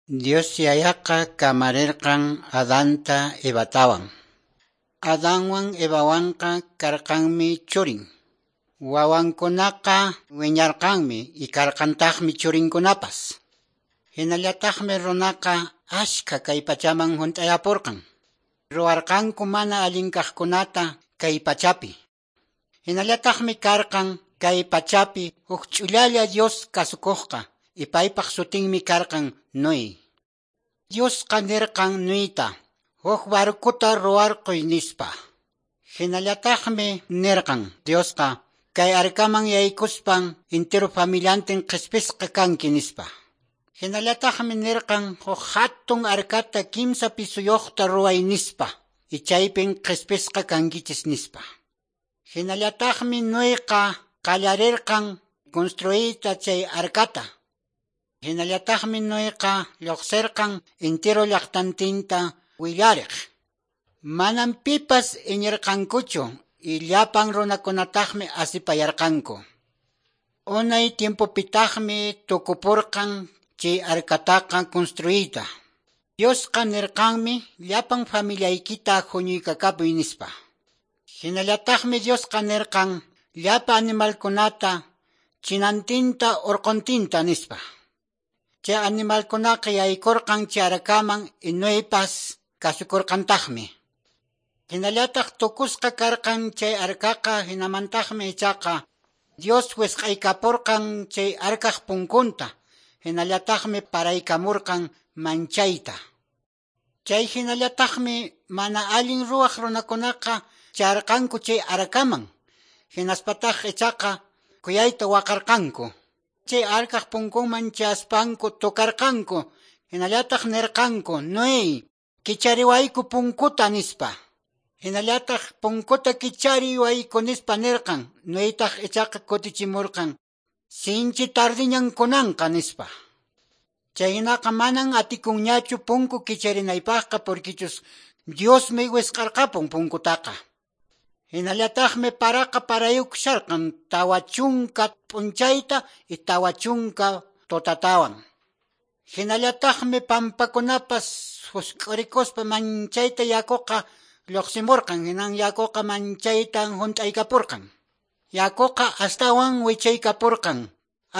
Dios Yayaqa kamarirqan Adanta Evatawan. Adanwan Evawanqa karqanmi churin. Wawankunaqa wiñarqanmi y karqantaqmi churinkunapas. Hinallataqmi runaqa ashka kay pachaman hunt'ayapurqan. Ruwarqanku mana allin kaqkunata kay pachapi. Hinallataqmi karqan kay pachapi huk ch'ullalla Dios kasukuqqa y paypaq sutinmi karqan Noé. Diosqa nirqan Noeta, huk barcuta ruwarquy nispa. Hinallataqmi nirqan Diosqa kay arcaman yaykuspan entero familiantin qhispisqa kanki nispa. Hinallataqmi nirqan huk hatun arcata kimsa pisuyuqta ruway nispa y chaypin qhispisqa kankichis nispa. Hinallataqmi Noeqa qallarirqan construyta chay arcata. Hinallataqmi Noeqa lluqsirqan entero llaqtantinta willariq. Manam pipas iñirqankuchu y llapan runakunataqmi asipayarqanku. Unay tiempopitaqmi tukupurqan chay arcataqa construyta. Diosqa nirqanmi llapan familiaykita huñuykakapuy nispa. Hinallataqmi Diosqa nirqan llapa animalkunata chinantinta urquntinta nispa. Chay animalkunaqa yaykurqan chay arcaman y Noepas kasukurqantaqmi. Hinallataq tukusqa karqan chay arcaqa, hinamantaqmi ichaqa Dios wisq'aykapurqan chay arcaq punkunta, hinallataqmi paraykamurqan manchayta. Chay hinallataqmi mana allin ruwaq runakunaqa charqanku chay arcaman, hinaspataq ichaqa kuyayta waqarqanku. Chay arcaq punkunman chaspanku tocarqanku, hinallataq nirqanku, Noé, kichariwayku punkuta nispa. Hinallataq punkuta kichariwayku nispa nirqan, Noetaq ichaqa kutichimurqan, sinchi tardiñan kunanqa nispa. Chaynaqa manan atikunñachu punku kicharinaypaqqa porquichus Diosmi wisq'arqapun punkutaqa. Hinallataqmi paraqa parayukusharqan 40 p'unchayta y 40 tutatawan. Hinallataqmi pampakunapas husk'urikuspa manchayta yakuqa lluqsimurqan, hinan yakuqa manchaytan hunt'aykapurqan. Yakuqa astawan wichaykapurqan.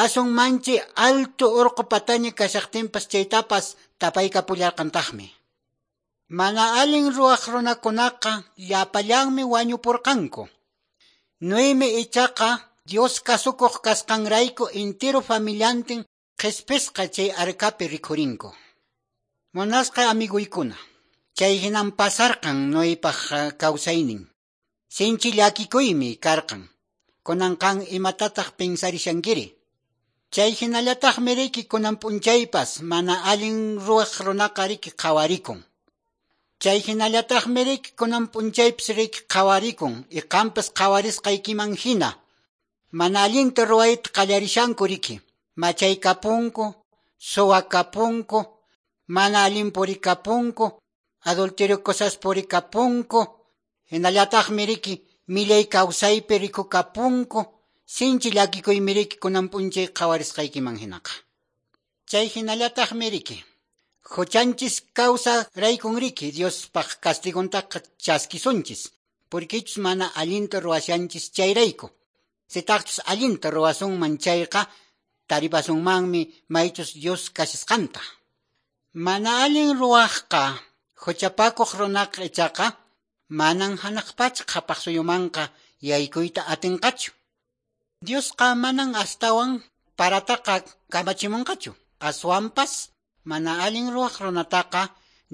Asun manchi alto urqu pataña kashaqtinpas chaytapas tapaykapullarqantaqmi. Mana allin ruwaq runakunaqa llapallanmi wañupurqanku. Noemi ichaqa Dios kasukuq kasqanrayku entero familiantin qhispisqa chay arcapi rikhurinku. Munasqa amiguykuna, chay hinan pasarqan Noepaq kawsaynin. Sinchi llakikuymi karqan. Kunanqan imatataq pensarishankiri. Chay hinallataqmi riki kunan p'unchaypas mana allin ruwaq runaqa riki qhawarikun. Chay hinallataqmi riki kunan p'unchaypas riki qhawarikun y qampas qhawarisqaykiman hina. Mana allinta ruwayta qallarishanku riki. Machaykapunku, suwakapunku, mana allin purikapunku, adulterio cosas purikapunku, hinallataqmi riki millay kawsaypi rikukapunku, sinchi llakikuymi riki kunan p'unchay qhawarisqaykiman hinaqa. Chay hinallataqmi riki huchanchis kawsa raykun riki Diospaq castiguntaqa chaskisunchis, porquichus mana allinta ruwashanchis chayrayku. Sitaqchus allinta ruwasunman chayqa taripasunmanmi maychus Dios kashasqanta. Mana allin ruwaqqa huchapakuq runaqa ichaqa manan hanaq pacha qhapaq suyumanqa yaykuyta atinqachu. Diosqa manan astawan parataqa kamachimunqachu. Aswanpas mana allin ruwaq runataqa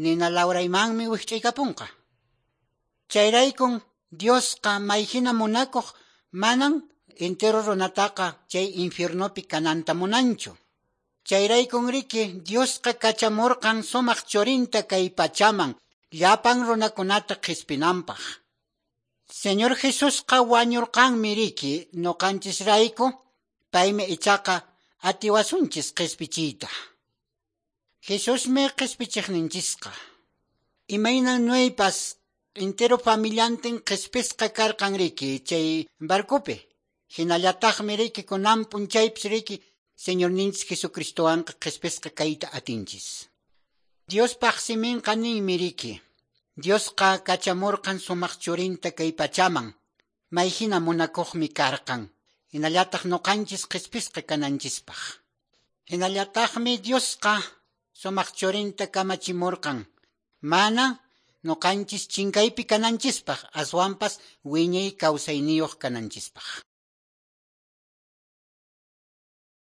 nina lawraymanmi wikch'aykapunqa. Chayraykun Diosqa mayhina munakuq manan entero runataqa chay infiernopi kananta munanchu. Chayraykun riki Diosqa kachamurqan sumaq churinta kay pachaman llapan runakunata qhispinanpaq. Señor Jesusqa wañurqanmi riki nuqanchisrayku, paymi ichaqa atiwasunchis qhispichiyta. Jesusmi qhispichiqninchisqa. Imaynan Noepas entero familiantin qhispisqa karqan riki chay barcopi. Hinallataqmi riki kunan p'unchaypis riki Señorninchis Jesucristowanqa qhispisqa kayta atinchis. Diospaq siminqa ninmi riki. Diosqa kachamurqan sumaq churinta kay pachaman. Mayhina munakuqmi karqan. Hinallataq nuqanchis qhispisqa kananchispaq. Hinallataqmi Diosqa sumaq churinta kamachimurqan. Mana nuqanchis chinkaypi kananchispaq aswanpas wiñay kawsayniyuq kananchispaq.